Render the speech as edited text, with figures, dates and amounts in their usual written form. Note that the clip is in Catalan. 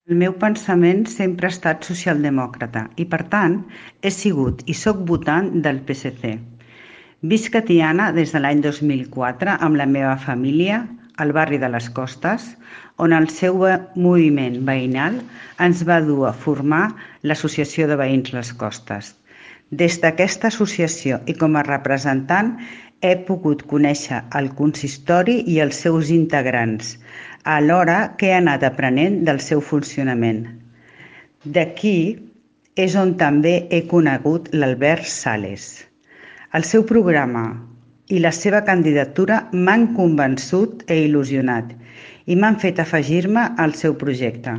El meu pensament sempre ha estat socialdemòcrata i, per tant, he sigut i soc votant del PSC. Visc a Tiana des de l'any 2004 amb la meva família al barri de les Costes, on el seu moviment veïnal ens va dur a formar l'Associació de Veïns Les Costes. Des d'aquesta associació i com a representant he pogut conèixer el consistori i els seus integrants, alhora que he anat aprenent del seu funcionament. D'aquí és on també he conegut l'Albert Sales. El seu programa i la seva candidatura m'han convençut i il·lusionat i m'han fet afegir-me al seu projecte.